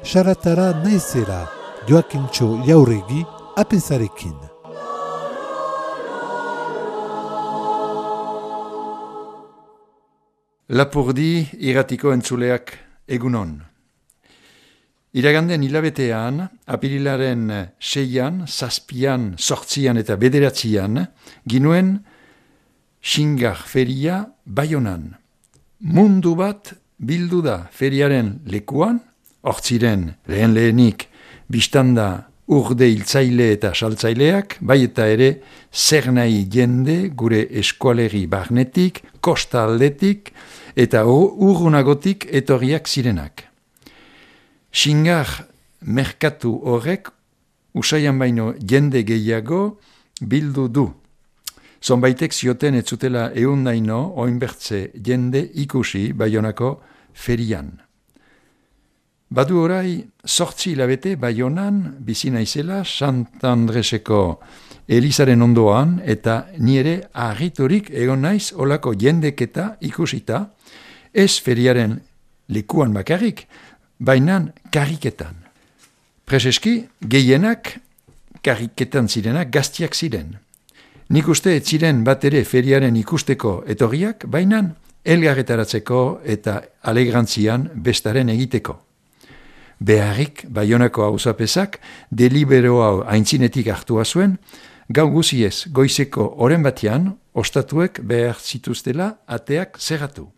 Saratara naizera, Joakintxo Jauregi, apezarekin. Lapurdi irratiko entzuleak egunon. Iraganden hilabetean, apirilaren 6an, 7an, 8an eta 9an, ginuen Xingar feria Baionan. Mundu bat bildu da feriaren lekuan, hortziren lehenik bistanda urde hiltzaile eta saltzaileak, bai eta ere zer nahi jende gure eskualeri barnetik, kosta aldetik eta urrunagotik etorriak zirenak. Xingar merkatu horrek usaian baino jende gehiago bildu du. Zonbaitek zioten ez zutela ehundaino oinbertze jende ikusi Baionako ferian. Badu orai 8 hilabete Baionan bizi naizela Sant Andreseko Elizaren ondoan eta ni ere harriturik egon naiz olako jendeketa ikusita, ez feriaren lekuan bakarrik, bainan karriketan. Preseski gehienak karriketan zirenak gaztiak ziren. Nik uste ez ziren bat ere feriaren ikusteko etorriak, bainan elgarretaratzeko eta alegrantzian bestaren egiteko. Beharrik Baionako auzapezak delibero hau aintzinetik hartua zuen, gau guziez goizeko oren batean ostatuek behar zituztela ateak zerratu.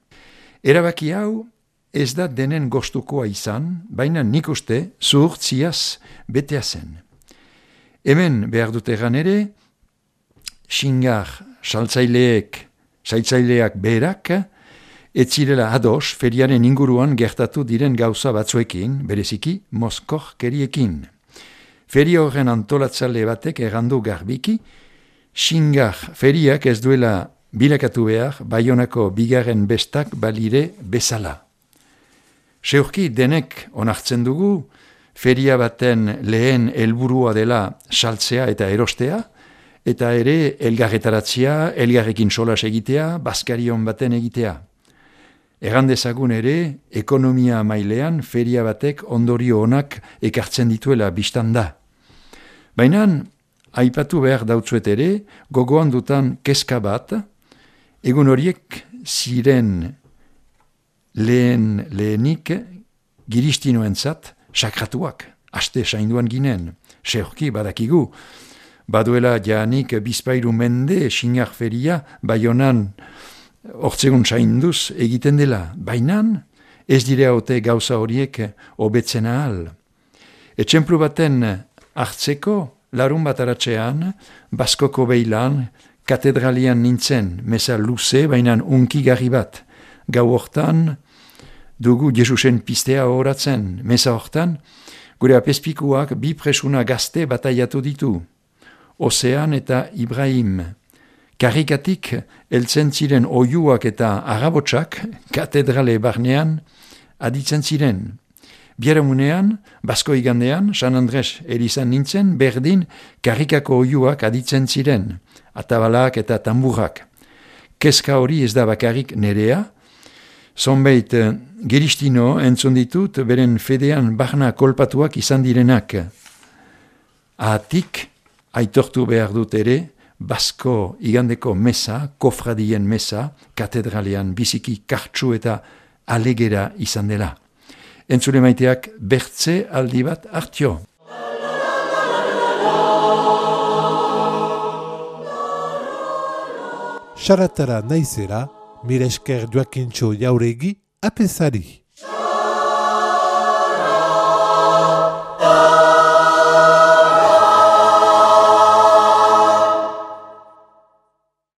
Erabaki hau ez da denen gostukoa izan, baina nik uste zuhurtziaz betea zen. Hemen behar dut egan ere, Xingar saltzaileak beherak, ez zirela ados feriaren inguruan gertatu diren gauza batzuekin, bereziki mozkorkeriekin. Feria horren antolatzale batek errandu garbiki, Xingar feriak ez duela bilakatu behar Baionako bigarren bestak balire bezala. Seurki denek onartzen dugu, feria baten lehen helburua dela saltzea eta erostea, eta ere elgarretaratzea, elgarrekin solas egitea, bazkarion baten egitea. Errandezagun ere, ekonomia mailean feria batek ondorio onak ekartzen dituela biztanda. Baina, aipatu behar dautzuet ere, gogoan dutan kezka bat, egun horiek ziren lehenik giristinoentzat sakratuak, aste sainduan ginen, seurki badakigu, baduela jaanik bizpairu mende Xingar feria Baionan hortzegun sainduz egiten dela, bainan ez dire haute gauza horiek hobetzen ahal. Etxemplu baten hartzeko larun bat aratzean, Baskoko Beilan, katedralian nintzen, meza luze, bainan unkigarri bat. Gau hortan, dugu Jesusen pistea horatzen, meza hortan, gure apespikuak bi presuna gazte bataiatu ditu. Ozean eta Ibrahim. Karrikatik heltzen ziren oiuak eta agabotsak katedrale barnean aditzen ziren. Biaramunean, Basko igandean, San Andres Elizan nintzen, berdin karrikako oiuak aditzen ziren, atabalak eta tamburrak. Kezka hori ez da bakarrik nerea, zonbait geristino entzun ditut beren fedean barna kolpatuak izan direnak. Ahatik, aitortu behar dut ere, Basko igandeko mesa, kofradien mesa, katedralean biziki kartsu eta alegera izan dela. Entzule maiteak bertze aldi bat hartio. Saratara naizera, mire esker Joakintxo Jauregi, apezari.